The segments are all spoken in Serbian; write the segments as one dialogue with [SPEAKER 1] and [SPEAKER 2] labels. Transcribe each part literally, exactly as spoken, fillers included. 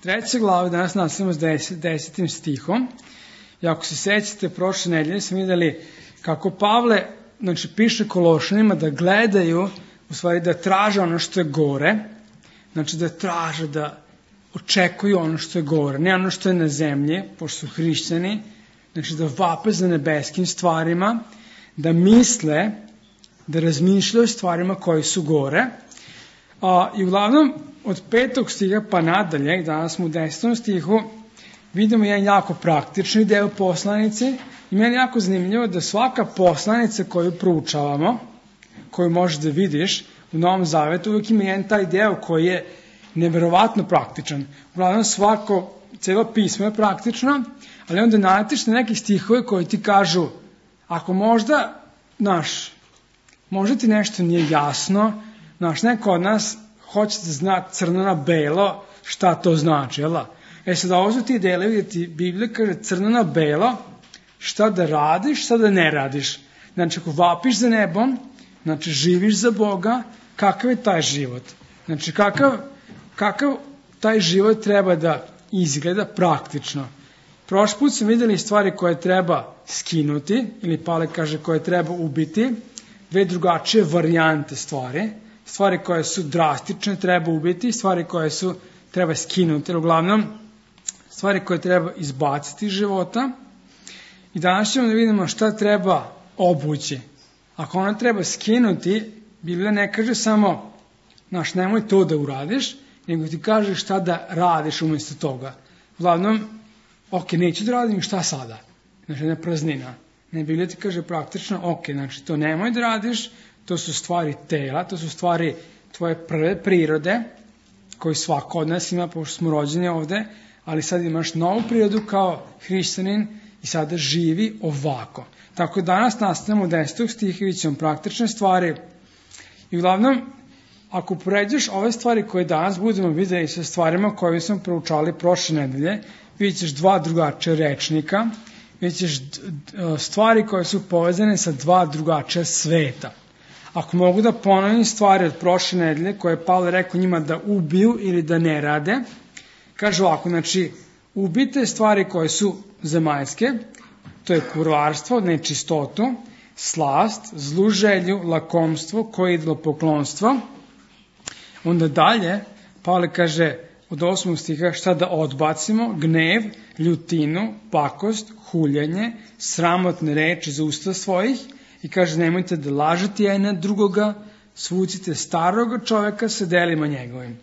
[SPEAKER 1] treća glava, danas nastavimo s deset, desetim stihom. I ako se sećate, prošle nedelje smo videli kako Pavle, znači, piše Kološanima da gledaju, u stvari da traže ono što je gore, znači da traže, da očekuju ono što je gore, ne ono što je na zemlji, pošto su hrišćani, znači da vape za nebeskim stvarima, da misle, da razmišljaju o stvarima koji su gore. A, I uglavnom, od petog stiha pa nadalje, danas smo u desetom stihu, vidimo jedan jako praktični deo poslanice i meni jako zanimljivo da svaka poslanica koju proučavamo, koju možeš da vidiš u Novom Zavetu, uvijek ima jedan taj deo koji je neverovatno praktičan. Uglavnom svako, celo pismo je praktično, ali onda naletiš na neke stihove koji ti kažu, ako možda, znaš, možda ti nešto nije jasno, znaš, neko od nas hoće da zna crno na belo šta to znači, jel da? E sad, ovo su ti delovi gdje ti Biblija kaže crno na belo, šta da radiš, šta da ne radiš. Znači, ako vapiš za nebom, znači, živiš za Boga, kakav je taj život? Znači, kakav, kakav taj život treba da izgleda praktično? Prošli put smo vidjeli stvari koje treba skinuti, ili Pavle kaže koje treba ubiti, dve drugačije varijante stvari, stvari koje su drastične treba ubiti, stvari koje su treba skinuti, uglavnom stvari koje treba izbaciti iz života. I danas ćemo da vidimo šta treba obući. Ako ona treba skinuti, Biblija ne kaže samo, znaš, nemoj to da uradiš, nego ti kaže šta da radiš umjesto toga. Uglavnom, ok, neću da radim, šta sada? Znači, ne praznina. Ne, Biblija ti kaže praktično, ok, znači, to nemoj da radiš, to su stvari tela, to su stvari tvoje prve prirode, koji svako od nas ima, pošto smo rođeni ovde, ali sad imaš novu prirodu kao hrišćanin i sada živi ovako. Tako danas nastavljamo desetog stiha i vidjet ćemo praktične stvari. I uglavnom, ako poređaš ove stvari koje danas budemo vidjeli sa stvarima koje smo proučali prošle nedelje, vidjet ćeš dva drugačija rečnika, vidjet ćeš stvari koje su povezane sa dva drugačija sveta. Ako mogu da ponovim stvari od prošle nedelje koje je Pavle rekao njima da ubiju ili da ne rade, kaže ovako, znači, ubite stvari koje su zemaljske, to je kurvarstvo, nečistotu, slast, zlu želju, lakomstvo, koje je idolopoklonstvo. Onda dalje, Pavle kaže od osmog stiha šta da odbacimo, gnev, ljutinu, pakost, huljenje, sramotne reči za usta svojih, i kaže nemojte da lažete jedan na drugoga, svucite staroga čoveka sa delima njegovim.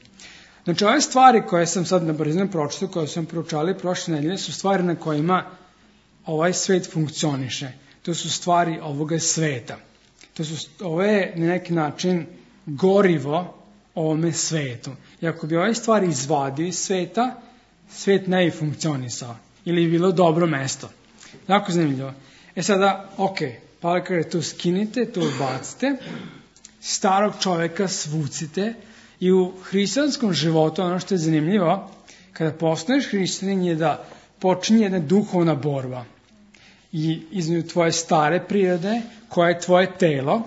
[SPEAKER 1] Znači, ove stvari koje sam sad na brzinu pročitao, koje sam proučali prošle nedelje, su stvari na kojima ovaj svet funkcioniše. To su stvari ovoga sveta. To su, ovo je na neki način gorivo ovome svetu. I ako bi ove stvari izvadio iz sveta, svet ne bi funkcionisao. Ili bi bilo dobro mesto. Jako zanimljivo. E sada, ok, Pavle kaže, to skinite, to odbacite, starog čoveka svucite i u hrišćanskom životu, ono što je zanimljivo, kada postaneš hrišćanin je da počinje jedna duhovna borba. I između tvoje stare prirode, koja je tvoje telo,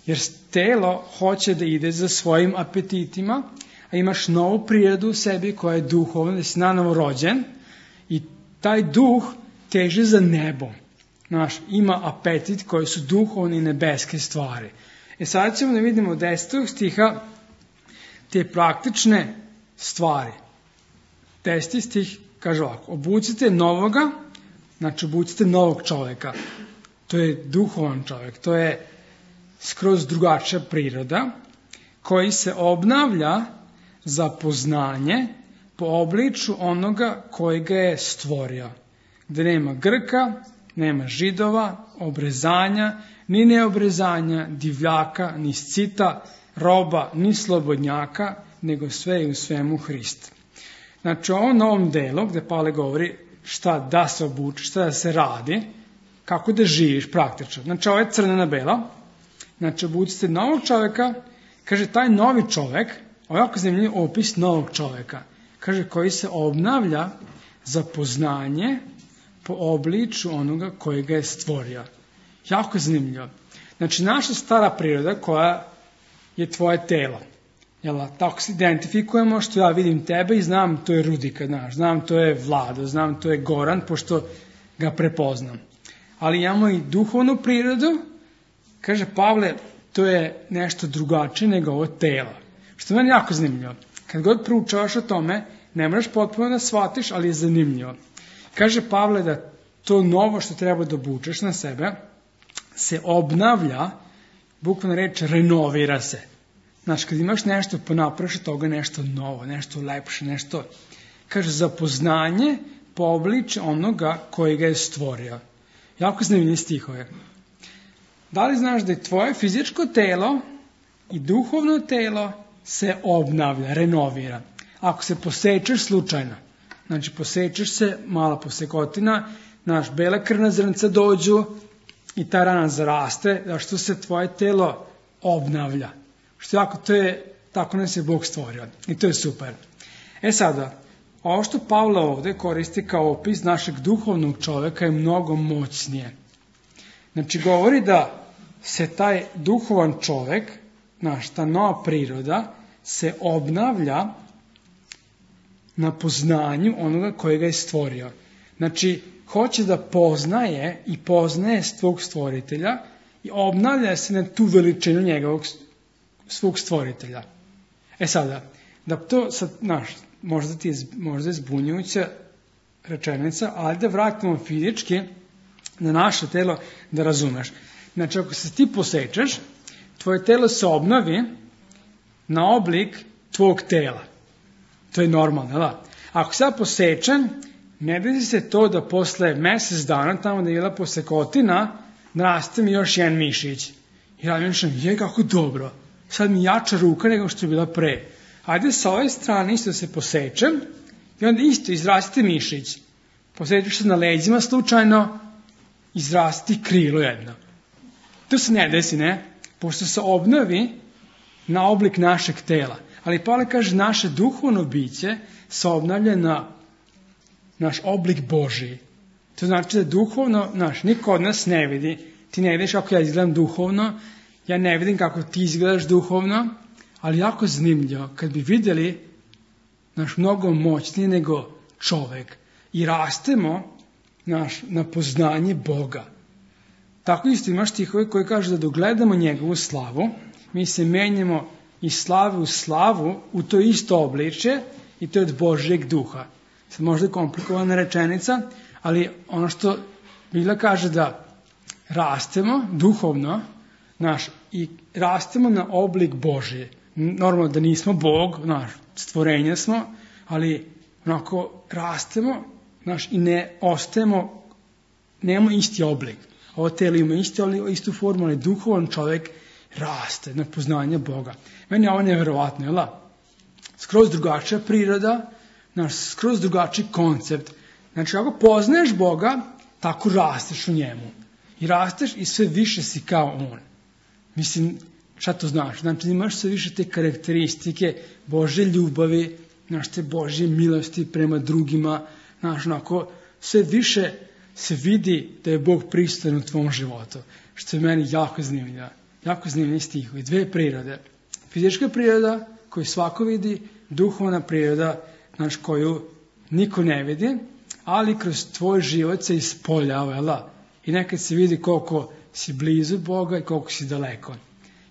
[SPEAKER 1] jer telo hoće da ide za svojim apetitima, a imaš novu prirodu u sebi koja je duhovna, da si nanovo rođen i taj duh teže za nebom. Znaš, ima apetit koji su duhovne i nebeske stvari. E sad ćemo da vidimo od desetog stiha te praktične stvari. Deseti stih kaže ovako, obucite novoga, znači obucite novog čoveka. To je duhovan čovek, to je skroz drugačija priroda, koji se obnavlja za poznanje po obliču onoga koji ga je stvorio. Gde nema Grka, nema Židova, obrezanja, ni neobrezanja, divljaka, ni scita, roba, ni slobodnjaka, nego sve i u svemu Hrist. Znači, u ovom novom delu, gde Pavle govori šta da se obuči, šta da se radi, kako da živiš praktično. Znači, ovo je crno na belo. Znači, obucite novog čoveka, kaže, taj novi čovek, ovo je jako zanimljiv opis novog čoveka, kaže, koji se obnavlja za poznanje po obliču onoga koji ga je stvorio. Jako zanimljivo. Znači, naša stara priroda koja je tvoje telo, Jel, tako se identifikujemo što ja vidim tebe i znam to je Rudika, znaš, znam to je Vlado, znam to je Goran, pošto ga prepoznam. Ali imamo i duhovnu prirodu, kaže Pavle, to je nešto drugačije nego ovo telo. Što je meni jako zanimljivo. Kad god proučavaš o tome, ne moraš potpuno da shvatiš, ali je zanimljivo. Kaže Pavle da to novo što treba da obučeš na sebe se obnavlja, bukvalno reč renovira se. Znaš, kad imaš nešto pa napraviš od toga nešto novo, nešto lepše, nešto, kaže, za poznanje po obličju onoga koji ga je stvorio. Jako zanimljivi stihove. Da li znaš da je tvoje fizičko telo i duhovno telo se obnavlja, renovira? Ako se posečeš slučajno, znači posečeš se, mala posekotina, naš bele krvna zrnca dođu i ta rana zaraste, zašto se tvoje telo obnavlja. Što jako, to je, tako nas je Bog stvorio. I to je super. E sada, ovo što Pavle ovde koristi kao opis našeg duhovnog čoveka je mnogo moćnije. Znači, govori da se taj duhovan čovek, naš, ta nova priroda, se obnavlja na poznanju onoga kojega je stvorio. Znači, hoće da poznaje i poznaje svog stvoritelja i obnavlja se na tu veličinu njegovog svog stvoritelja. E sada, da to sad, znaš, možda ti je možda je zbunjujuća rečenica, ali da vratimo fizički na naše telo da razumeš. Znači, ako se ti posečeš, tvoje telo se obnovi na oblik tvog tela. To je normalno, da? Ako se ja posečem, ne desi se to da posle mesec dana, tamo da je bila posekotina, naraste mi još jedan mišić. I ja mišljam, je kako dobro. Sad mi jača ruka nego što je bila pre. Ajde sa ove strane isto se posečem i onda isto izrasti mišić. Posečeš se na leđima slučajno, izrasti krilo jedno. To se ne desi, ne? Pošto se obnovi na oblik našeg tela. Ali Pavle kaže, naše duhovno biće se obnavlja na naš oblik Božiji. To znači da duhovno, naš, niko od nas ne vidi. Ti ne vidiš kako ja izgledam duhovno, ja ne vidim kako ti izgledaš duhovno, ali jako zanimljivo, kad bi vidjeli naš mnogo moćniji nego čovek i rastemo naš, na poznanje Boga. Tako isto imaš stihove koji kažu da dogledamo njegovu slavu, mi se menjamo iz slave u slavu u to isto obličje i to je od Božjeg duha. Sad možda je komplikovana rečenica, ali ono što Biblia kaže da rastemo duhovno, naš, i rastemo na oblik Božje. Normalno da nismo Bog, naš, stvorenje smo, ali onako rastemo, naš, i ne ostajemo, nemamo isti oblik. Ovo telo ima isti, istu formu, ali duhovan čovjek raste na poznanje Boga. Meni je ovo nevjerovatno, jel da? Skroz drugačija priroda, naš, skroz drugačiji koncept. Znači, ako poznaješ Boga, tako rasteš u njemu. I rasteš i sve više si kao On. Mislim, šta to znaš? Znači, imaš sve više te karakteristike Božje ljubavi, znaš, te Božje milosti prema drugima, znaš, onako, sve više se vidi da je Bog prisutan u tvom životu, što je meni jako zanimljivo. Jako zanimljivi stihovi. Dve prirode. Fizička priroda koju svako vidi, duhovna priroda, znaš, koju niko ne vidi, ali kroz tvoj život se ispoljava, jel da? I nekad se vidi koliko si blizu Boga i koliko si daleko.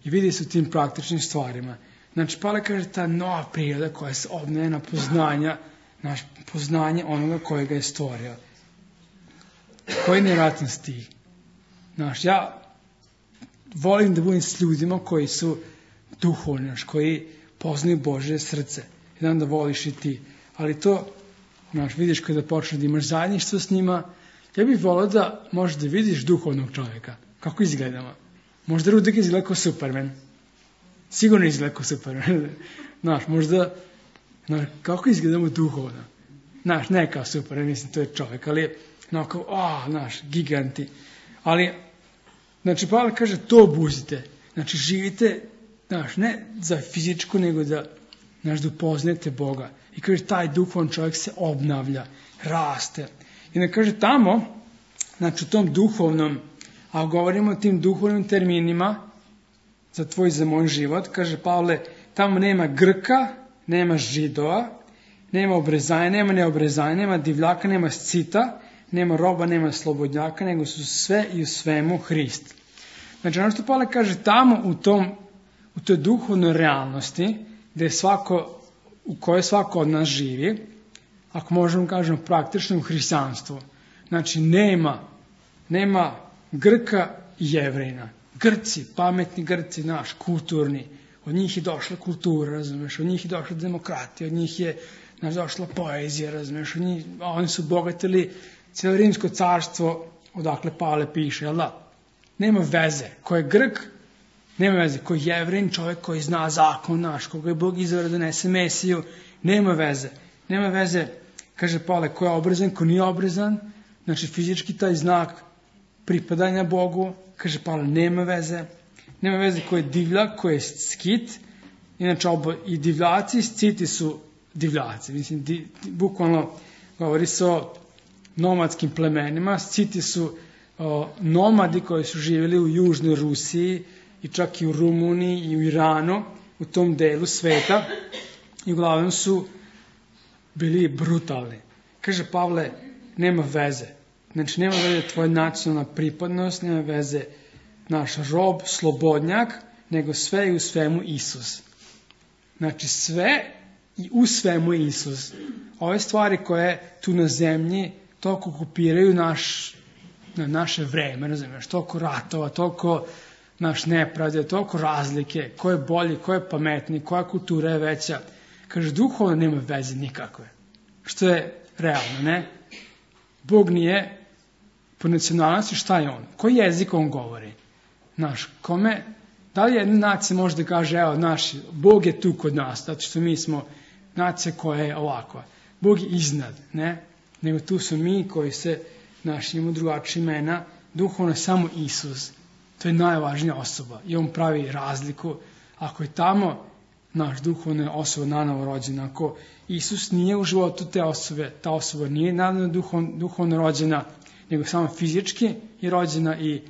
[SPEAKER 1] I vidi se u tim praktičnim stvarima. Znači, Pavle kaže ta nova priroda koja se obnavlja na poznanja, naš poznanje onoga kojega je stvorio. Koji nevjerojatan stih. Znaš, ja volim da budem s ljudima koji su duhovni, koji poznaju Božje srce. Jedan da voliš i ti. Ali to, znaš, vidiš kada počneš da imaš zajedništvo s njima, ja bih volio da možeš da vidiš duhovnog čovjeka. Kako izgledamo? Možda Rudik izgleda kao Superman. Sigurno izgleda kao Superman. Znaš, možda, znaš, kako izgledamo duhovno? Znaš, ne kao Superman, mislim, to je čovjek, ali no, kao, a, znaš, giganti. Ali, znači, Pavle kaže, to obuzite. Znači, živite, znaš, ne za fizičku, nego da, znaš, da upoznate Boga. I kaže, taj duhovan čovjek se obnavlja, raste. I ne kaže tamo, znači, u tom duhovnom, a govorimo o tim duhovnim terminima za tvoj, za moj život, kaže Pavle, tamo nema Grka, nema Židova, nema obrezanja, nema neobrezanja, nema divljaka, nema scita, nema roba, nema slobodnjaka, nego su sve i u svemu Hrist. Znači, ono što Pavle kaže, tamo u tom, u toj duhovnoj realnosti, gde je svako, u kojoj svako od nas živi, ako možemo kažemo praktično u hrišćanstvu, znači nema, nema Grka i Jevrejina. Grci, pametni Grci, naš, kulturni, od njih je došla kultura, razumeš, od njih je došla demokratija, od njih je naš, došla poezija, razumeš, od njih, a oni su obogatili cijelo rimsko carstvo, odakle Pavle piše, jel da? Nema veze, ko je Grk, nema veze, ko je Jevrin, čovjek koji zna zakon naš, koga je Bog izabrao da donese Mesiju, nema veze, nema veze, kaže Pavle, ko je obrezan, ko nije obrezan, znači fizički taj znak pripadanja Bogu, kaže Pavle, nema veze, nema veze ko je divljak, ko je skit, inače obo, i divljaci i sciti su divljaci, mislim, di, bukvalno govori se o nomadskim plemenima, sciti su o, nomadi koji su živjeli u južnoj Rusiji i čak i u Rumuniji i u Iranu, u tom delu sveta, i uglavnom su bili brutalni. Kaže Pavle, nema veze. Znači, nema veze tvoja nacionalna pripadnost, nema veze naš rob, slobodnjak, nego sve i u svemu Isus. Znači, sve i u svemu Isus. Ove stvari koje tu na zemlji toliko okupiraju naš, na naše vreme, razumiješ, toliko ratova, toliko naš nepravde, toliko razlike, ko je bolji, ko je pametniji, koja kultura je veća. Kaže, duhovno nema veze nikakve. Što je realno, ne? Bog nije po nacionalnosti, šta je on? Koji jezik on govori? Naš, kome, da li jedna nacija može da kaže, evo, naš, Bog je tu kod nas, zato što mi smo nacija koja je ovakva. Bog je iznad, ne? Nego tu su mi koji se, naš, imamo drugačije imena, duhovno samo Isus. To je najvažnija osoba i on pravi razliku. Ako je tamo naš duhovna osoba nanovo rođena, ako Isus nije u životu te osobe, ta osoba nije nanovo duhovno, duhovno rođena, nego samo fizički je rođena i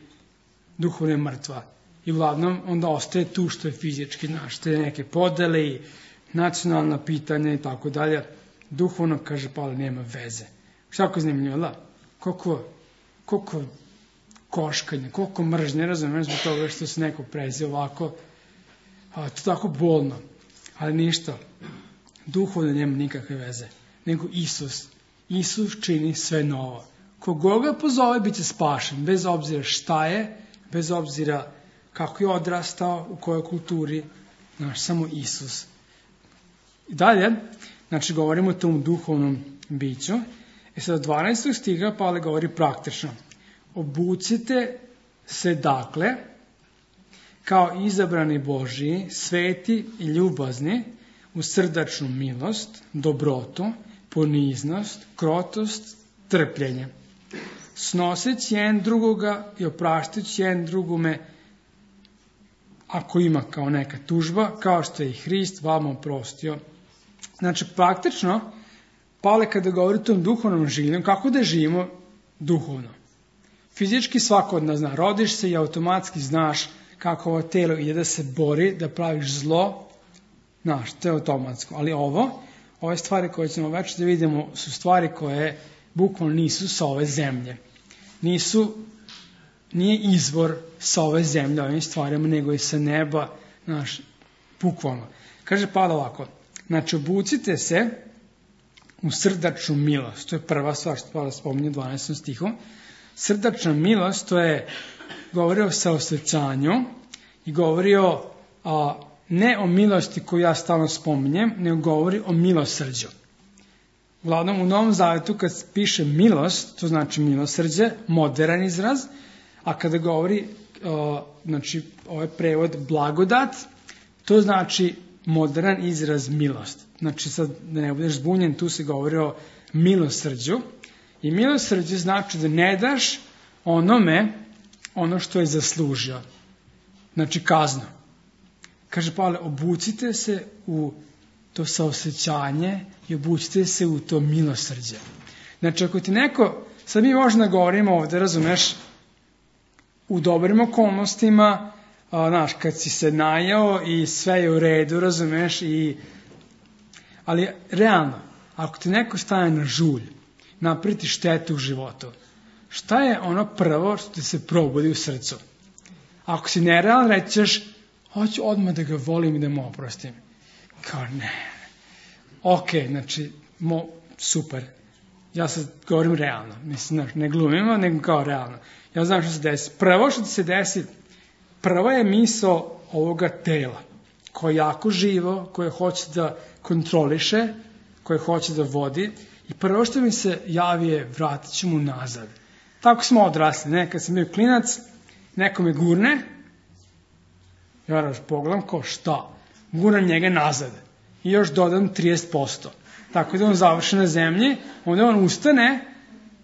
[SPEAKER 1] duhovno je mrtva. I uglavnom onda ostaje tu što je fizički, znaš, te neke podele i nacionalna pitanja i tako dalje. Duhovno, kaže Pavle, nema veze. Što je zanimljivo, da? Koliko, koliko koškanje, koliko mržnje, razumiješ, zbog toga što se neko prezi ovako, a, to tako bolno. Ali ništa, duhovno nema nikakve veze, nego Isus. Isus čini sve novo. Koga ga pozove, bit će spašen, bez obzira šta je, bez obzira kako je odrastao, u kojoj kulturi, znaš, samo Isus. I dalje, znači, govorimo o tom duhovnom biću. I sad od dvanaestog stiha Pavle govori praktično. Obucite se, dakle, kao izabrani Božiji, sveti i ljubazni, u srdačnu milost, dobrotu, poniznost, krotost, trpljenje. Snoseći jedan drugoga i opraštajući jedan drugome, ako ima kao neka tužba, kao što je i Hrist vama oprostio. Znači, praktično, Pavle kada govori o tom duhovnom življenju, kako da živimo duhovno? Fizički svako od nas zna, rodiš se i automatski znaš kako ovo telo ide da se bori, da praviš zlo, znaš, to je automatsko. Ali ovo, ove stvari koje ćemo već da vidimo, su stvari koje bukvalno nisu sa ove zemlje. Nisu, nije izvor sa ove zemlje ovim stvarima, nego i sa neba, znaš, bukvalno. Kaže Pavle ovako, znači obucite se u srdačnu milost, to je prva stvar što Pavle spominje u dvanaestom stihu. Srdačna milost, to je, govori o saosjećanju i govori o, a, ne o milosti koju ja stalno spominjem, nego govori o milosrđu. Uglavnom, u Novom Zavetu kad piše milost, to znači milosrđe, modern izraz, a kada govori, a, znači, ovaj prevod blagodat, to znači modern izraz milost. Znači, sad da ne budeš zbunjen, tu se govori o milosrđu. I milosrđe znači da ne daš onome ono što je zaslužio. Znači kaznu. Kaže Pavle, obucite se u to saosjećanje i obucite se u to milosrđe. Znači ako ti neko, sad mi možemo da govorimo ovdje, razumeš, u dobrim okolnostima, a, znaš, kad si se najao i sve je u redu, razumeš, i, ali realno, ako ti neko staje na žulj, napriti štetu u životu, šta je ono prvo što ti se probudi u srcu? Ako si nerealan, reći ćeš, hoću odmah da ga volim i da mu oprostim. Kao ne. Ok, znači, mo, super. Ja sad govorim realno. Mislim, ne glumimo, nego kao realno. Ja znam što se desi. Prvo što ti se desi, prva je misao ovoga tela, koje je jako živo, koje hoće da kontroliše, koje hoće da vodi. I prvo što mi se javi je, vratit ću mu nazad. Tako smo odrasli. Ne? Kad sam bio klinac, neko me gurne, ja raš pogledam kao šta, gurnem njega nazad i još dodam trideset posto. Tako da on završi na zemlji, onda on ustane,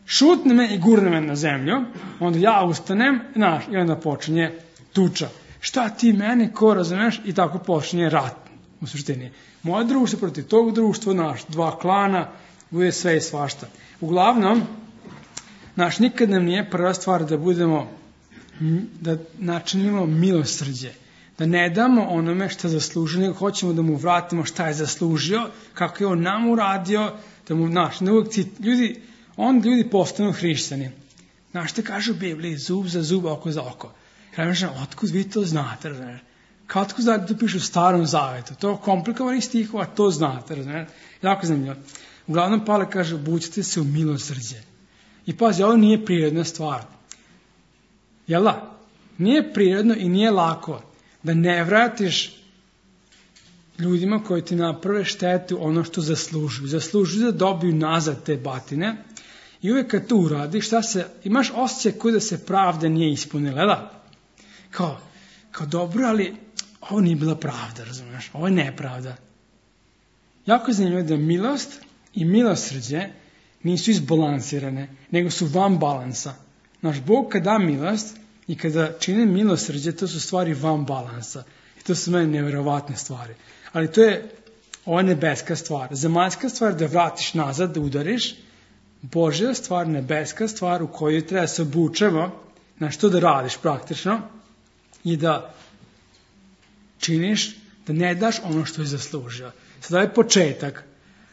[SPEAKER 1] šutne me i gurne me na zemlju, onda ja ustanem, znaš, i onda počinje tuča. Šta ti meni, ko razumeš? I tako počinje rat, u suštini. Moje društvo protiv tog društva, naš, dva klana, bude sve i svašta. Uglavnom, naš, nikad nam nije prva stvar da budemo, da načinimo milosrđe. Da ne damo onome šta zaslužio, nego hoćemo da mu vratimo šta je zaslužio, kako je on nam uradio, da mu, znaš, ne uvijek ti, ljudi, onda ljudi postanu hrišćani. Znaš, te kaže u Bibliji, zub za zub, oko za oko. Kažeš, otkud vi to znate, razumiješ? Kao otkud znate, to piše u Starom Zavetu. To je komplikovani stihova, to znate, razumiješ? Jako zanimljivo. Uglavnom, Pavle kaže, obučite se u milosrđe. I pazi, ovo nije prirodna stvar. Jel da? Nije prirodno i nije lako da ne vratiš ljudima koji ti naprave štetu ono što zaslužuju. Zaslužuju da dobiju nazad te batine i uvijek kad to uradiš, šta se, imaš osjećaj koji da se pravda nije ispunila, da? Kao, kao dobro, ali ovo nije bila pravda, razumiješ? Ovo je nepravda. Jako je zanimljivo da milost i milosrđe nisu izbalansirane, nego su van balansa. Naš Bog kad da milost i kada čine milosrđe, to su stvari van balansa. I to su meni nevjerovatne stvari. Ali to je ova nebeska stvar. Zemaljska stvar da vratiš nazad, da udariš. Božja stvar, nebeska stvar u kojoj treba se obučemo, na što da radiš praktično i da činiš, da ne daš ono što je zaslužio. Sada je početak.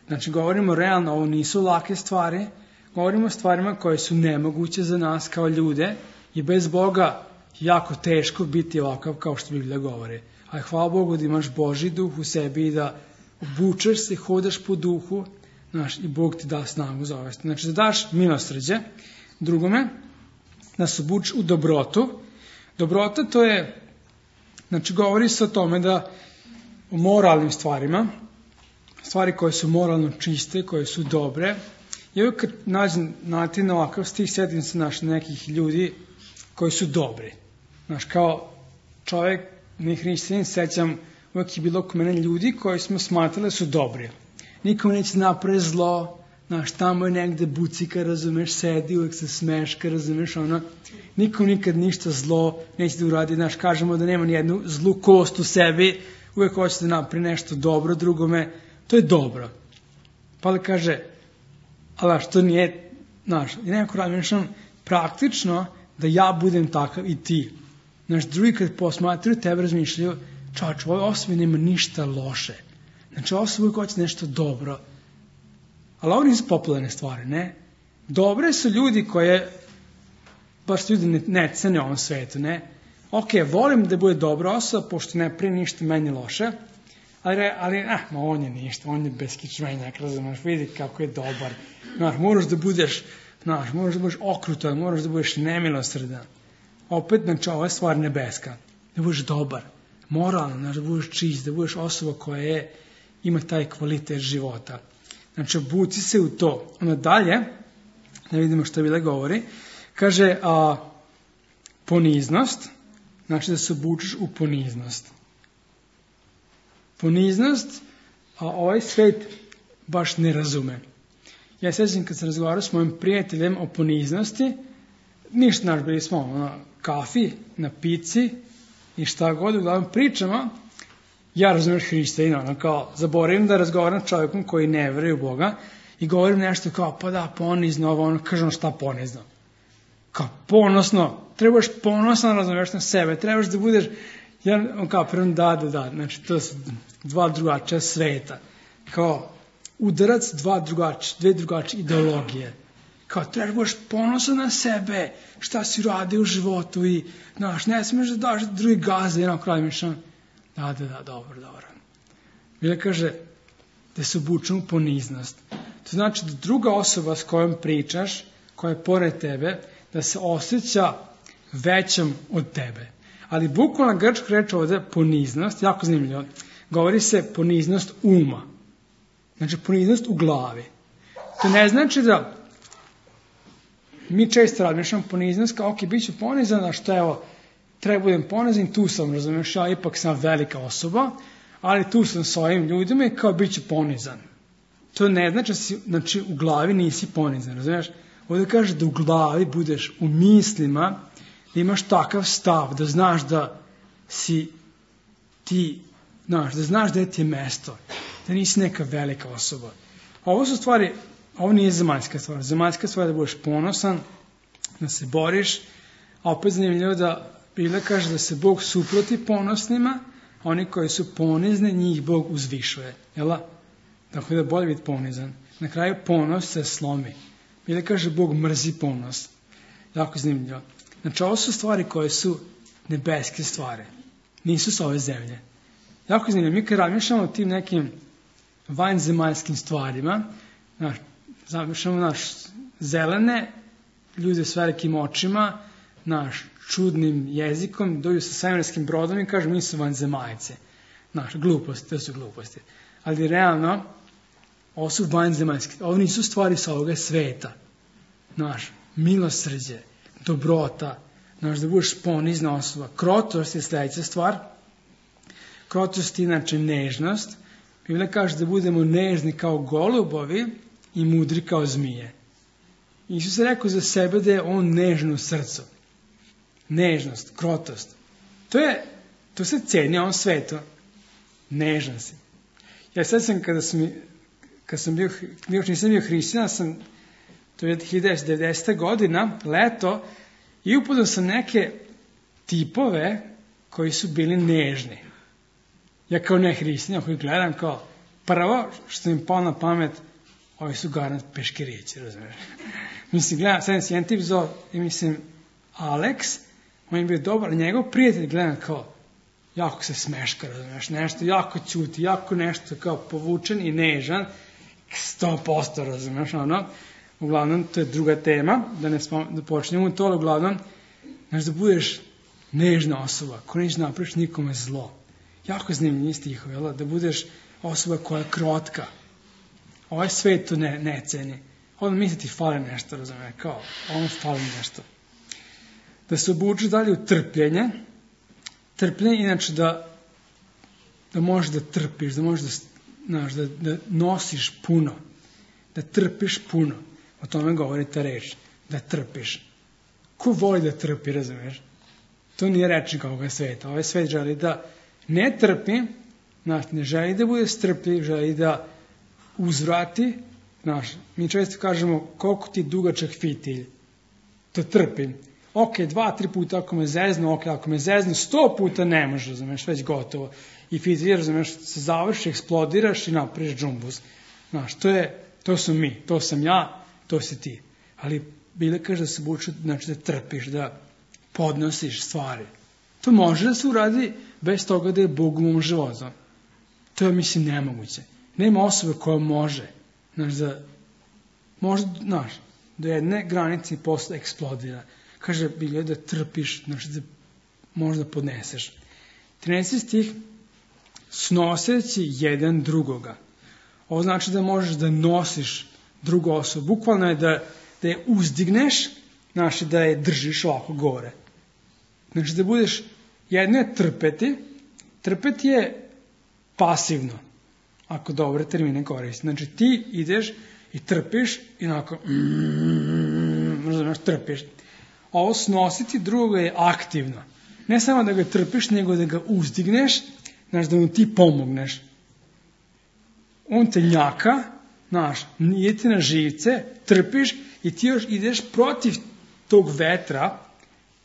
[SPEAKER 1] Znači, govorimo realno, ovo nisu lake stvari, govorimo o stvarima koje su nemoguće za nas kao ljude i bez Boga jako teško biti ovakav kao što Biblija govori. Ali hvala Bogu da imaš Božji duh u sebi i da obučeš se, hodaš po duhu, znaš, i Bog ti da snagu za ove. Znači, da daš milosrđe. Drugome, da se obučeš u dobrotu. Dobrota to je, znači, govori se o tome da o moralnim stvarima, stvari koje su moralno čiste, koje su dobre. I uvijek kad nađem nati na ovakav stih, sjetim se naš nekih ljudi koji su dobri. Znaš, kao čovjek, ne hrišćanin, sećam, uvijek je bilo oko mene ljudi koji smo smatrali su dobri. Nikom neće napravi zlo, znaš, tamo je negde bucika, razumeš, sedi, uvijek se smeška, razumeš, ono, nikom nikad ništa zlo neće da uradi, znaš, kažemo da nema nijednu zlu kost u sebi, uvijek hoće da napravi nešto dobro drugome, to je dobro. Pa li kaže, ali što nije, znaš, i nekako razmišljam praktično da ja budem takav i ti. Znaš, drugi kad posmatraju tebe razmišljaju, čovječ, u ovoj osobi nema ništa loše. Znači, osoba uvijek hoće nešto dobro. Ali ovo nisu popularne stvari, ne? Dobre su ljudi koje, baš ljudi ne, ne cene u ovom svetu, ne? Ok, volim da bude dobra osoba, pošto ne prije ništa meni loše, ali, ali ah, ma on je ništa, on je beskičmenjak, razumiješ, vidi kako je dobar. Znaš, moraš da budeš, znaš, moraš da budeš okrutan, moraš da budeš nemilosrdan. Opet, znači, ova je stvar nebeska. Da budeš dobar, moralno, znači, da budeš čist, da budeš osoba koja je, ima taj kvalitet života. Znači, obuci se u to. Onda dalje, da vidimo što Biblia govori, kaže a, poniznost, znači da se obučiš u poniznost. Poniznost, a ovaj svet baš ne razume. Ja sjećam kad sam razgovarao s mojim prijateljem o poniznosti, ništa naš, bili smo na kafi, na pici i šta god, uglavnom pričamo, ja razumiješ hrišćanina, ono kao, zaboravim da razgovaram s čovjekom koji ne veruje u Boga i govorim nešto kao, pa da, ponizno, ovo, ono, kažem šta ponizno. Kao, ponosno, trebaš ponosno razumiješ na sebe, trebaš da budeš, Ja, on kao prvom da, da, da, znači to su dva drugačija sveta. Kao udarac dva drugačije, dve drugačije ideologije. Kao trebaš budeš ponosan na sebe, šta si radio u životu i, znaš, ne smiješ da daš drugi gaze, jedan kraj mišan. Da, da, da, dobro, dobro. Bila kaže da se obučemo u poniznost. To znači da druga osoba s kojom pričaš, koja je pored tebe, da se osjeća većom od tebe. Ali bukvalna grčka reč ovdje poniznost, jako zanimljivo, govori se poniznost uma. Znači poniznost u glavi. To ne znači da mi često razmišljamo poniznost kao, ok, bit ću ponizan, a što evo, treba budem ponizan, tu sam, razumiješ, ja ipak sam velika osoba, ali tu sam s ovim ljudima i kao bit ću ponizan. To ne znači da si, znači, u glavi nisi ponizan, razumiješ? Ovdje kaže da u glavi budeš u mislima, da imaš takav stav, da znaš da si ti, znaš, da znaš da ti je mesto, da nisi neka velika osoba. Ovo su stvari, ovo nije zemaljska stvar. Zemaljska stvar je da budeš ponosan, da se boriš, a opet zanimljivo da Biblia kaže da se Bog suproti ponosnima, a oni koji su ponizni, njih Bog uzvišuje. Jel? Dakle, da bolje biti ponizan. Na kraju ponos se slomi. Biblia kaže Bog mrzi ponos. Jako zanimljivo. Znači, ovo su stvari koje su nebeske stvari. Nisu sa ove zemlje. Jako zanimljivo. Mi kad razmišljamo o tim nekim vanzemaljskim stvarima, znaš, zamišljamo naš zelene, ljude s velikim očima, naš čudnim jezikom, dođu sa svemirskim brodom i kažu mi su vanzemaljce. Znaš, gluposti, to su gluposti. Ali realno, ovo su vanzemaljske, ovo nisu stvari sa ovoga sveta. Znaš, milosrđe, dobrota, znaš, da budeš ponizna osoba. Krotost je sljedeća stvar. Krotost je inače nežnost. Biblia kaže da budemo nežni kao golubovi i mudri kao zmije. Isus je rekao za sebe da je on nežno u srcu. Nežnost, krotost. To je, to se ceni ovom svetu. Nežan si. Ja sad sam, kada sam, kada sam bio, još nisam bio hrišćan, sam, to je hiljadu devetsto devedeseta godina, leto, i upoznao sam neke tipove koji su bili nežni. Ja kao ne hrišćan, koji gledam kao, prvo što im palo na pamet, ovi su garant peškirići, razumiješ. Mislim, gledam, sad si jedan tip zove, i mislim, Alex, on je bio dobar, njegov prijatelj gledam kao, jako se smeška, razumiješ, nešto jako ćuti, jako nešto kao povučen i nežan, sto posto, razumiješ, ono, uglavnom, to je druga tema, da ne spom, da počnemo to, ali uglavnom, znaš, da budeš nežna osoba, ko neće napraviš nikome zlo. Jako zanimljivi stihovi, jel? Da budeš osoba koja je krotka. Ovaj svet to ne, ne ceni. Onda misli ti fali nešto, razumiješ, kao, ono fali nešto. Da se obučeš dalje u trpljenje. Trpljenje, inače, da, da možeš da trpiš, da možeš da, znaš, da, da nosiš puno. Da trpiš puno. O tome govori ta reč. Da trpiš. Ko voli da trpi, razumiješ? To nije rečnik ovoga sveta. Ovaj svet želi da ne trpi, znaš, ne želi da bude strpljiv, želi da uzvrati. Znaš, mi često kažemo koliko ti je dugačak fitilj. To trpim. Ok, dva, tri puta ako me zeznu, ok, ako me zeznu, sto puta ne može, razumiješ, već gotovo. I fitilj, razumiješ, se završi, eksplodiraš i napraviš džumbus. Znaš, to je, to su mi, to sam ja, to si ti. Ali Biblia kaže da se buče, znači da trpiš, da podnosiš stvari. To može da se uradi bez toga da je Bog u mom životu. To je, mislim, nemoguće. Nema osobe koja može. Znaš, da može, znaš, do jedne granice posle eksplodira. Kaže Biblia da trpiš, znači da možda podneseš. trinaesti stih, snoseći jedan drugoga. Ovo znači da možeš da nosiš drugu osobu. Bukvalno je da, da je uzdigneš, znači da je držiš ovako gore. Znači da budeš, jedno je trpeti, trpeti je pasivno, ako dobre termine koristi. Znači ti ideš i trpiš i onako, mm, znači trpiš. Ovo snositi drugoga je aktivno. Ne samo da ga trpiš, nego da ga uzdigneš, znači da mu ti pomogneš. On te njaka, znaš, nije ti na živce, trpiš i ti još ideš protiv tog vetra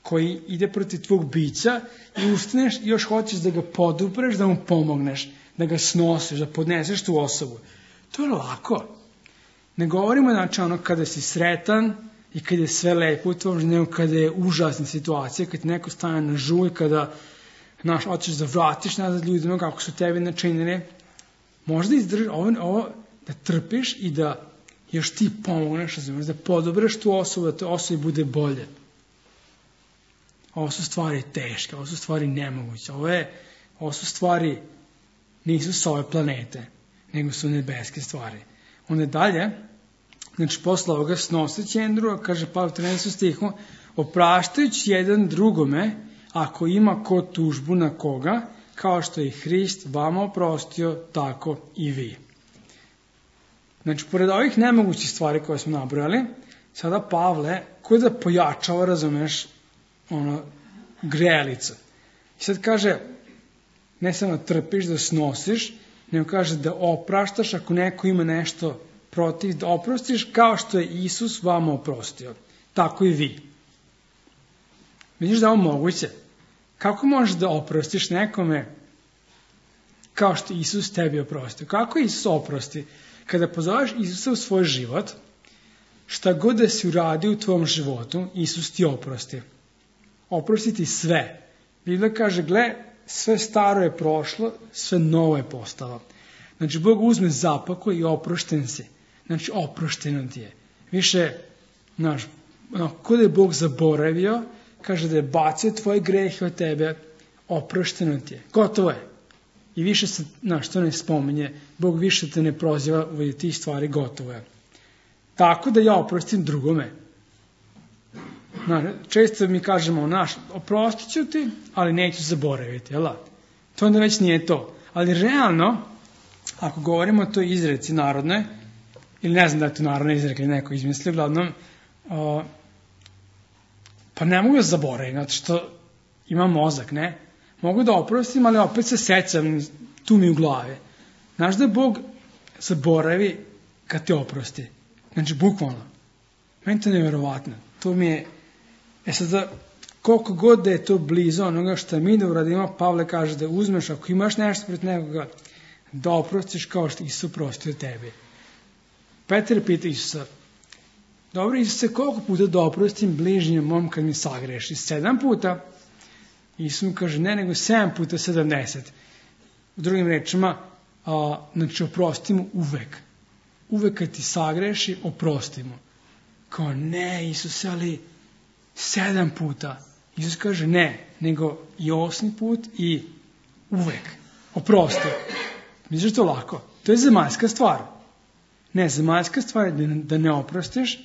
[SPEAKER 1] koji ide protiv tvog bića i ustaneš i još hoćeš da ga podupreš, da mu pomogneš, da ga snosiš, da podneseš tu osobu. To je lako. Ne govorimo znači ono kada si sretan i kada je sve lepo u tvom životu, nego kada je užasna situacija, kada ti neko stane na žulj, kada znaš, hoćeš da vratiš nazad ljudima kako su tebi načinili. Možda izdržiš ovo, ovo da trpiš i da još ti pomogneš, da podobreš tu osobu, da to osobi bude bolje. Ovo su stvari teške, ovo su stvari nemoguće. Ovo, je, ovo su stvari, nisu s ove planete, nego su nebeske stvari. Onda dalje, znači posle ovoga snoseći jedan druga, kaže Pavle u trinaestom stihu, opraštajući jedan drugome, ako ima ko tužbu na koga, kao što je Hrist vama oprostio, tako i vi. Znači, pored ovih nemogućih stvari koje smo nabrojali, sada Pavle, koji da pojačava, razumeš, ono, grelica. I sad kaže, ne samo da trpiš, da snosiš, nego kaže da opraštaš ako neko ima nešto protiv, da oprostiš kao što je Isus vama oprostio. Tako i vi. Vidiš da je ovo moguće? Kako možeš da oprostiš nekome kao što Isus tebi oprostio? Kako Isus oprosti? Kada pozoveš Isusa u svoj život, šta god da si uradio u tvom životu, Isus ti oprosti. Oprosti ti sve. Biblia kaže, gle, sve staro je prošlo, sve novo je postalo. Znači, Bog uzme zapako i oprošten si. Znači, oprošteno ti je. Više, znaš, kod je Bog zaboravio, kaže da je bacio tvoje grehe od tebe, oprošteno ti je. Gotovo je. I više se, znaš, to ne spominje, Bog više te ne proziva u tih stvari, gotovo je. Tako da ja oprostim drugome. Znaš, često mi kažemo, naš, oprostit ću ti, ali neću zaboraviti, jel? To onda već nije to. Ali realno, ako govorimo o toj izreci narodnoj, ili ne znam da je to narodna izreka ili neko izmislio, uglavnom, o, pa ne mogu da zaboravim, zato što imam mozak, ne? Mogu da oprostim, ali opet se sećam, tu mi u glavi. Znaš da Bog zaboravi kad te oprosti. Znači, bukvalno. Meni to nevjerovatno. To mi je, e sad da, koliko god da je to blizu onoga što mi da uradimo, Pavle kaže da uzmeš, ako imaš nešto pred nekoga, da oprostiš kao što Isus oprostio tebi. Petar pita Isusa, dobro Isuse, koliko puta da oprostim bližnjem mom kad mi sagreši? Sedam puta? Isus mu kaže, ne, nego sedam puta sedamdeset. U drugim rečima, a, znači oprostimo uvek. Uvek kad ti sagreši, oprostimo. Kao, ne, Isuse, ali sedam puta. Isus kaže, ne, nego i osmi put i uvek. Oprosti. Misliš to lako? To je zemaljska stvar. Ne, zemaljska stvar je da ne oprostiš,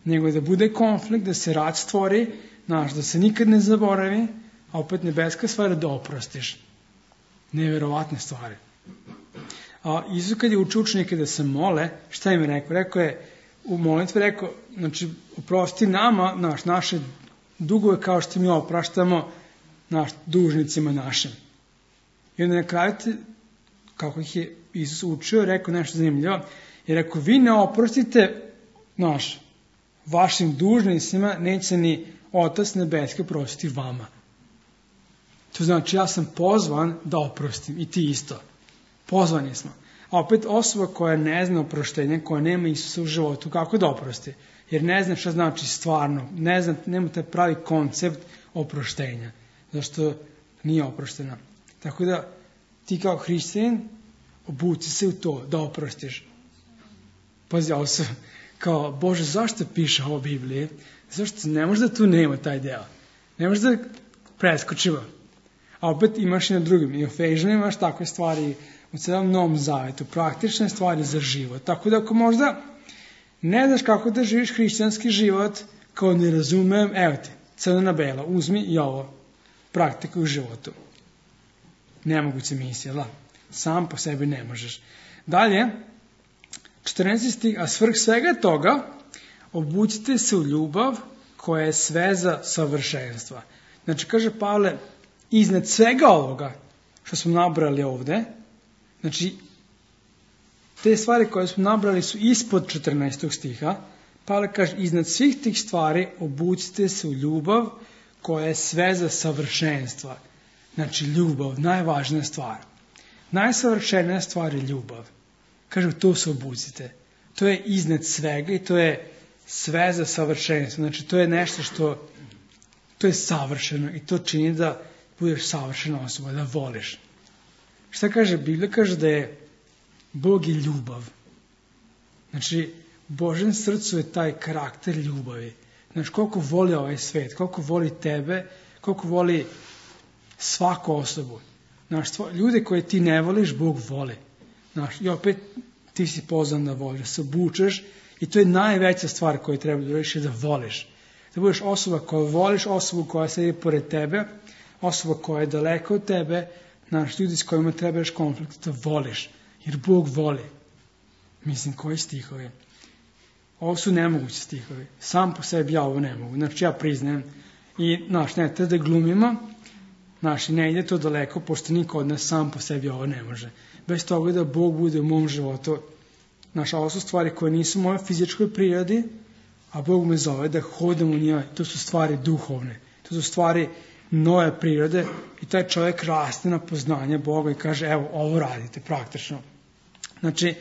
[SPEAKER 1] nego da bude konflikt, da se rat stvori, znaš, da se nikad ne zaboravi, a opet nebeska stvar je da oprostiš. Nevjerovatne stvari. A Isus kad je učio učenike da se mole, šta im je rekao? Rekao je, u molitvi rekao, znači, oprosti nama, naš, naše dugove kao što mi opraštamo naš, dužnicima našim. I onda na kraju, kako ih je Isus učio, rekao nešto zanimljivo, jer ako vi ne oprostite naš, vašim dužnicima, neće ni Otac nebeski oprostiti vama. To znači, ja sam pozvan da oprostim i ti isto. Pozvani smo. A opet osoba koja ne zna oproštenje, koja nema Isusa u životu, kako da oprosti? Jer ne zna šta znači stvarno. Ne zna, nema taj pravi koncept oproštenja. Zašto nije oproštena. Tako da ti kao hrišćanin obuci se u to da oprostiš. Pazi, ovo se kao, Bože, zašto piše ovo u Bibliji? Zašto ne može da tu nema taj deo? Ne može da preskočimo. A opet imaš i na drugim. I u Efežanima imaš takve stvari u celom Novom Zavetu. Praktične stvari za život. Tako da ako možda ne znaš kako da živiš hrišćanski život, kao ne razumem, evo ti, crno na belo, uzmi i ovo. Praktikuj u životu. Nemoguća misija, da. Sam po sebi ne možeš. Dalje, četrnaesti stih, a svrh svega toga, obucite se u ljubav koja je sveza savršenstva. Znači, kaže Pavle, iznad svega ovoga što smo nabrali ovde, znači, te stvari koje smo nabrali su ispod četrnaestog stiha, Pavle kaže, iznad svih tih stvari obucite se u ljubav koja je sveza savršenstva. Znači ljubav, najvažnija stvar. Najsavršenija stvar je ljubav. Kaže, to se obucite. To je iznad svega i to je sveza savršenstva. Znači to je nešto što, to je savršeno i to čini da budeš savršena osoba, da voliš. Šta kaže Biblija? Kaže da je Bog je ljubav. Znači, u Božjem srcu je taj karakter ljubavi. Znači, koliko voli ovaj svet, koliko voli tebe, koliko voli svaku osobu. Znači, ljude koje ti ne voliš, Bog voli. Znači, i opet ti si pozvan da voliš, da se obučeš i to je najveća stvar koju treba da uradiš, da voliš. Da budeš osoba koja voliš, osobu koja sedi pored tebe, osoba koja je daleko od tebe, znači, ljudi s kojima trebaš konflikt, da voliš. Jer Bog voli. Mislim, koji stihovi? Ovo su nemogući stihovi. Sam po sebi ja ovo ne mogu. Znači, ja priznajem. I, znaš, ne treba da glumimo. Znaš, ne ide to daleko, pošto niko od nas sam po sebi ovo ne može. Bez toga da Bog bude u mom životu. Znaš, ovo su stvari koje nisu u mojoj fizičkoj prirodi, a Bog me zove da hodam u njoj. To su stvari duhovne. To su stvari nove prirode i taj čovjek raste na poznanje Boga i kaže, evo, ovo radite praktično. Znači,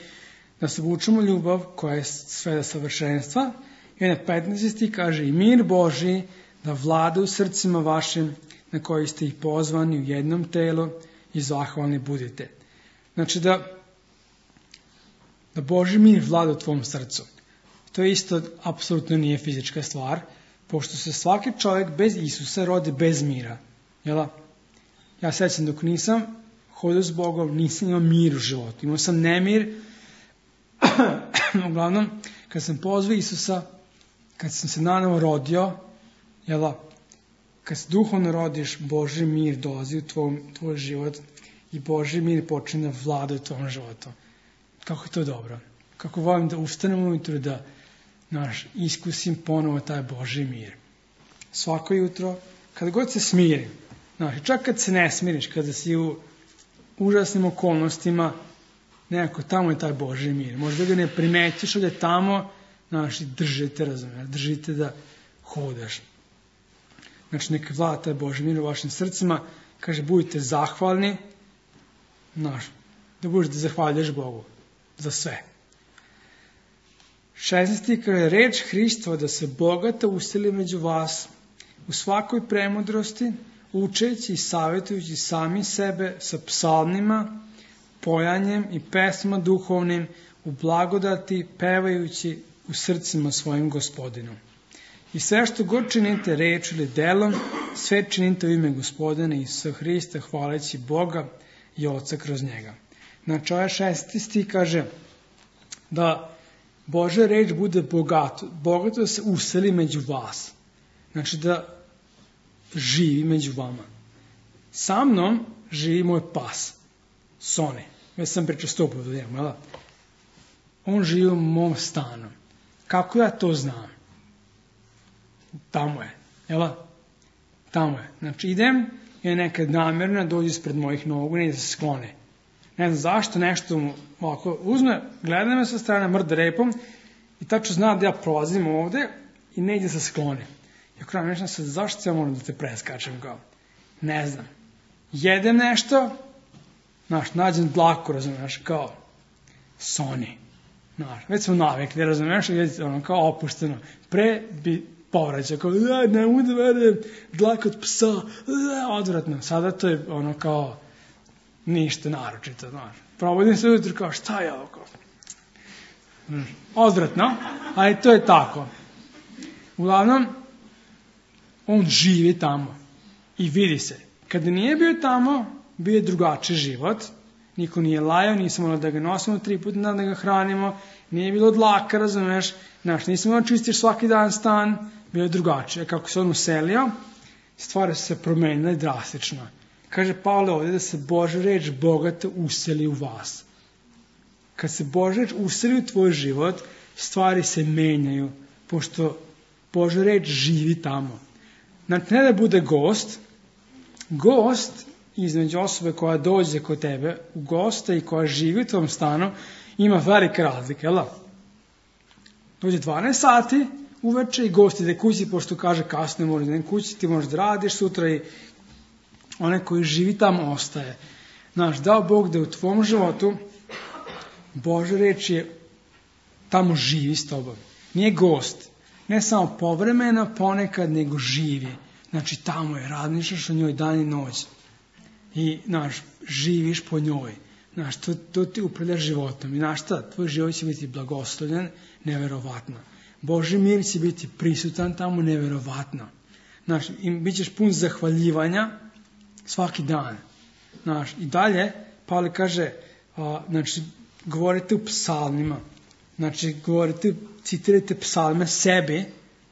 [SPEAKER 1] da se vučemo ljubav koja je sveda savršenstva. I onda petnaesti stih kaže, i mir Božji da vlada u srcima vašim na koji ste ih pozvani u jednom telu i zahvalni budite. Znači da, da Božji mir vlada u tvom srcu. To isto apsolutno nije fizička stvar, pošto se svaki čovjek bez Isusa rodi bez mira. Jela? Ja sećam dok nisam hodio s Bogom, nisam imao mir u životu. Imao sam nemir. Uglavnom, kad sam pozvao Isusa, kad sam se nanovo rodio, jela, kad se duhovno rodiš, Božji mir dolazi u tvoj, tvoj život i Božji mir počne da vlada u tvojom životu. Kako je to dobro. Kako volim da ustanem ujutru da naš, iskusim ponovo taj Božji mir. Svako jutro, kada god se smirim, znaš, čak kad se ne smiriš, kada si u užasnim okolnostima, nekako tamo je taj Božji mir. Možda ga ne primetiš, ali je tamo, znaš, držite, razumiješ, držite da hodaš. Znači, neka vlada taj Božji mir u vašim srcima, kaže, budite zahvalni, znaš, da budeš da zahvaljuješ Bogu za sve. šesnaesti kaže, reč Hristova da se bogata useli među vas u svakoj premudrosti, učeći i savjetujući sami sebe sa psalmima, pojanjem i pesmama duhovnim, u blagodati, pevajući u srcima svojim Gospodinu. I sve što god činite reč ili delom, sve činite u ime Gospodina Isusa Hrista, hvaleći Boga i Oca kroz njega. Znači, ovaj šesti stih kaže da Božja reč bude bogato, bogato da se useli među vas. Znači da živi među vama. Sa mnom živi moj pas, Sone. Već sam pričao sto puta njemu, jel? On živi u mom stanu. Kako ja to znam? Tamo je, jel? Tamo je. Znači idem i nekad namjerno dođe ispred mojih nogu i ne da se sklone. Ne znam zašto, nešto mu ovako uzme, gleda me sa strane, mrda repom i tačno zna da ja prolazim ovde i ne ide se sklone. I okraj nešto sad, zašto ja moram da te preskačem kao? Ne znam. Jedem nešto, znaš, nađem dlaku, razumiješ, kao Sony. Znaš, već smo navikli, razumiješ, ono, kao opušteno. Pre bi povraćao, kao, ne mogu da verujem, dlaka od psa, odvratno. Sada to je ono kao ništa naročito, znaš. Probudim se ujutru kao, šta je ovo kao? Odvratno, ali to je tako. Uglavnom, on živi tamo i vidi se. Kada nije bio tamo, bio je drugačiji život. Niko nije lajao, nismo morali da ga nosimo tri puta da ga hranimo, nije bilo dlaka, razumeš, znaš, nismo morali čistiš svaki dan stan, bio je drugačije. Kako se on uselio, stvari su se promenile drastično. Kaže Pavle ovdje da se Božja reč bogata useli u vas. Kad se Božja reč useli u tvoj život, stvari se menjaju, pošto Božja reč živi tamo. Znači, ne da bude gost, gost između osobe koja dođe kod tebe, u gosta i koja živi u tvom stanu, ima velike razlike, jel? Dođe dvanaest sati, uveče i gosti da kući, pošto kaže kasno ne može da kući, ti možeš da radiš sutra i onaj koji živi tamo ostaje. Znaš, dao Bog da u tvom životu Božja reč je tamo živi s tobom. Nije gost, ne samo povremeno, ponekad, nego živi. Znači, tamo je, razmišljaš o njoj dan i noć. I, znaš, živiš po njoj. Znaš, to, to ti upravlja životom. I znaš šta, tvoj život će biti blagoslovljen, neverovatno. Božji mir će biti prisutan tamo, neverovatno. Znaš, i bit ćeš pun zahvaljivanja svaki dan. Znaš, i dalje, Pavle kaže, a, znači, govorite u psalmima. Znači, govorite, citirajte psalme sebi,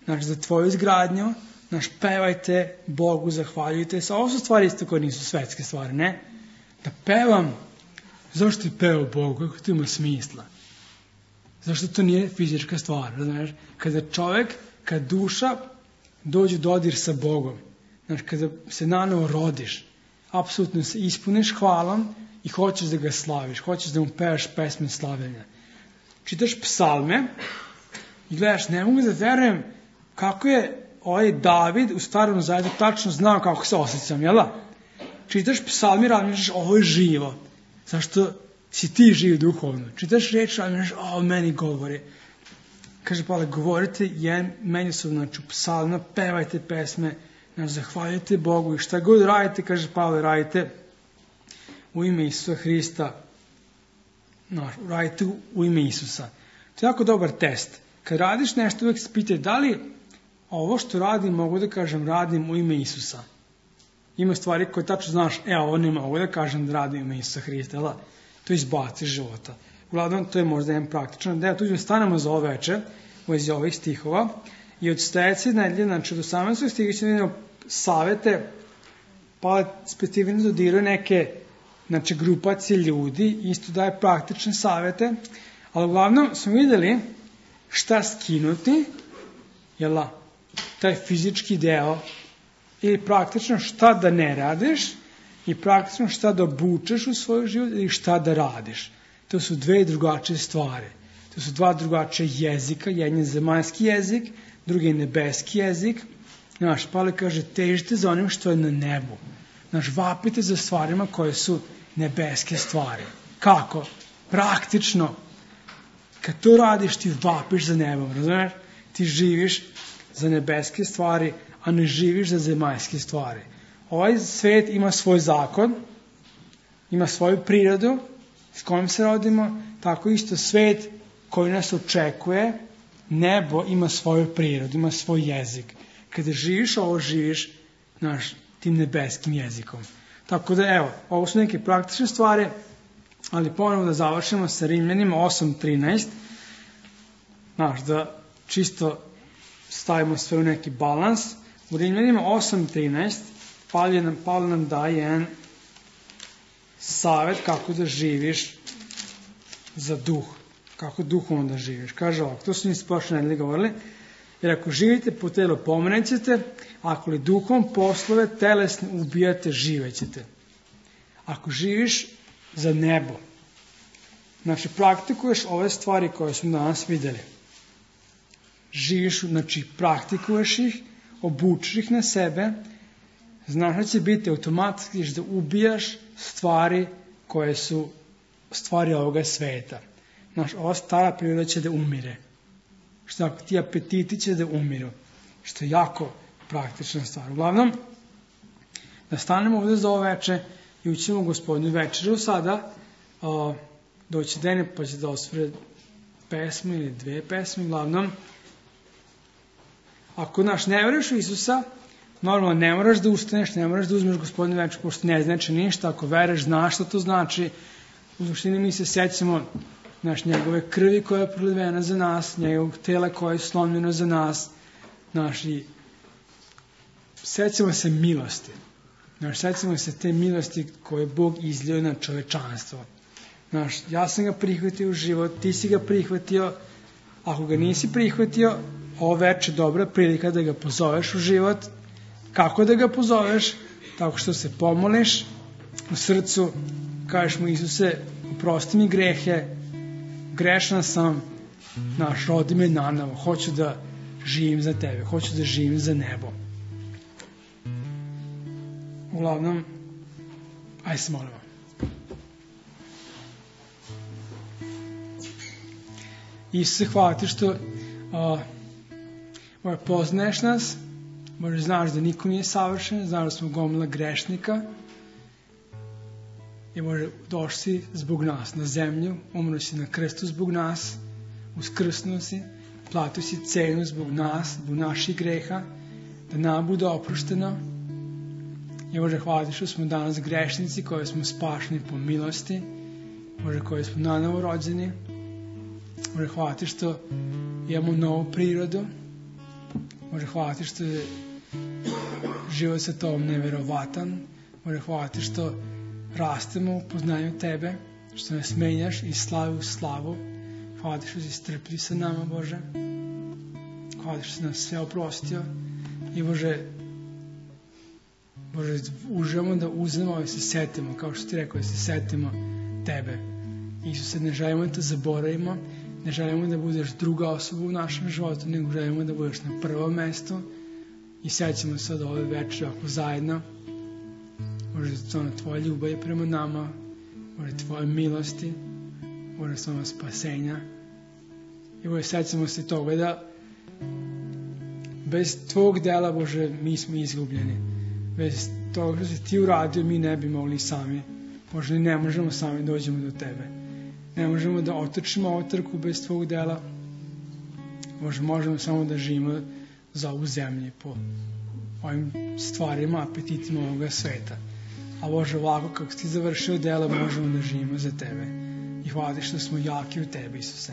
[SPEAKER 1] znači, za tvoju izgradnju, znači, pevajte Bogu, zahvaljujte se. Ovo su stvari isto koje nisu svetske stvari, ne? Da pevam, zašto ti pevao Bogu, kako to ima smisla? Zašto to nije fizička stvar, razumiješ? Kada čovjek, kada duša dođe dodir sa Bogom, znači, kada se nanovo rodiš, apsolutno se ispuniš hvalom i hoćeš da ga slaviš, hoćeš da mu pevaš pesme slavljenja. Čitaš psalme i gledaš, ne mogu da verujem kako je ovaj David u Starom Zavjetu tačno znao kako se osjećam, jel da? Čitaš psalmi, razmišljaš, ovo je živo. Zašto si ti živ duhovno? Čitaš reč, razmišljaš, o, meni govori. Kaže Pavle, govorite jedan međusobno, znači u psalmima, pevajte pesme, znači zahvaljujte Bogu i šta god radite, kaže Pavle, radite u ime Isusa Hrista. Znači, radite u, u ime Isusa. To je jako dobar test. Kad radiš nešto, uvijek se pitaj, da li ovo što radim, mogu da kažem, radim u ime Isusa. Ima stvari koje tačno znaš, e, ovo ne mogu da kažem da radim u ime Isusa Hrista, da? To izbaci života. Uglavnom, to je možda jedan praktičan deo. Tu ćemo stanemo za ovo veče, u vezi ovih stihova, i od sledeće nedelje, znači od osamnaestog stiha ćemo vidjeti savete, pa specifično dodiraju neke, znači, grupacije ljudi, isto daje praktične savete, ali uglavnom smo vidjeli šta skinuti, jel, taj fizički deo, ili praktično šta da ne radiš, i praktično šta da obučeš u svoj život, ili šta da radiš. To su dve drugačije stvari. To su dva drugačije jezika, jedan je zemaljski jezik, drugi je nebeski jezik. Znaš, Pavle kaže, težite za onim što je na nebu. Znaš, vapite za stvarima koje su nebeske stvari. Kako? Praktično. Kad to radiš, ti vapiš za nebom, razumiješ? Ti živiš za nebeske stvari, a ne živiš za zemaljske stvari. Ovaj svet ima svoj zakon, ima svoju prirodu s kojom se rodimo, tako isto svet koji nas očekuje, nebo ima svoju prirodu, ima svoj jezik. Kada živiš ovo, živiš naš tim nebeskim jezikom. Tako da, evo, ovo su neke praktične stvari, ali ponovno da završimo sa Rimljanima osam trinaest, znaš, da čisto stavimo sve u neki balans. U Rimljanima osam trinaest Pavle nam, Pavle nam daje jedan savjet kako da živiš za duh, kako duhovno da živiš. Kaže ovako, to su mi prošle nedelje govorili, jer ako živite po telu, pomenećete, ako li duhom poslove telesne ubijate, živećete. Ako živiš za nebo, znači praktikuješ ove stvari koje smo danas vidjeli. Živiš, znači praktikuješ ih, obučiš ih na sebe, znaš da će biti automatski da ubijaš stvari koje su stvari ovoga sveta. Znaš, ova stara priroda će da umire. Što ako ti apetiti će da umiru. Što je jako praktična stvar. Uglavnom, da stanemo ovdje za ovo veče i učimo Gospodinu večeru sada, o, doći dene pa će da osvore pesmu ili dve pesme. Uglavnom, ako naš ne veruješ u Isusa, normalno ne moraš da ustaneš, ne moraš da uzmeš Gospodinu večeru, pošto ne znači ništa. Ako veruješ, znaš što to znači. U suštini mi se sećamo naš njegove krvi koja je prolivena za nas, njegovog tela koje je slomljeno za nas, naš i sećamo se milosti. Naš, sećamo se te milosti koje je Bog izlio na čovečanstvo. Naš, ja sam ga prihvatio u život, ti si ga prihvatio, ako ga nisi prihvatio, ovo veče dobra prilika da ga pozoveš u život. Kako da ga pozoveš? Tako što se pomoliš u srcu, kažeš mu, Isuse, oprosti mi grehe, grešna sam, naš, rodi me nanovo, hoću da živim za tebe, hoću da živim za nebo. Uglavnom, aj se molimo. Isuse, hvala ti što uh, Bože, poznaješ nas, Bože, znaš da niko nije savršen, znaš da smo gomila grešnika i Bože, došli si zbog nas na zemlju, umro si na krstu zbog nas, uskrsnuo si, platio si cenu zbog nas, zbog naših greha, da nam bude oprošteno. I Bože, hvala ti što smo danas grešnici koji smo spašeni po milosti, Bože, koji smo nanovo rođeni. Bože, hvala ti što imamo novu prirodu. Bože, hvala ti što je život sa tobom neverovatan. Bože, hvala ti što rastemo u poznanju tebe, što nas menjaš iz slave u slavu. Hvala ti što si strpljiv sa nama, Bože. Hvala ti što si nas sve oprostio. I Bože, Bože, uživamo da uzmemo i se setimo, kao što ti rekao, da se setimo tebe. Isuse, ne želimo da te zaboravimo, ne želimo da budeš druga osoba u našem životu, nego želimo da budeš na prvom mestu i sećamo se od ove večeri ako zajedno. Bože, to na tvoje ljubav prema nama, Bože, tvoje milosti, Bože, samo spasenja. I Bože, sećamo se toga da bez tvog dela, Bože, mi smo izgubljeni. Bez toga što si ti uradio, mi ne bi mogli sami. Bože, ne možemo sami dođemo do tebe. Ne možemo da otrčimo ovu trku bez tvog dela. Bože, možemo samo da živimo za ovu zemlju po ovim stvarima, apetitima ovoga sveta. A Bože, ovako kako si ti završio dela, možemo da živimo za tebe. I hvala ti što smo jaki u tebi, Isuse.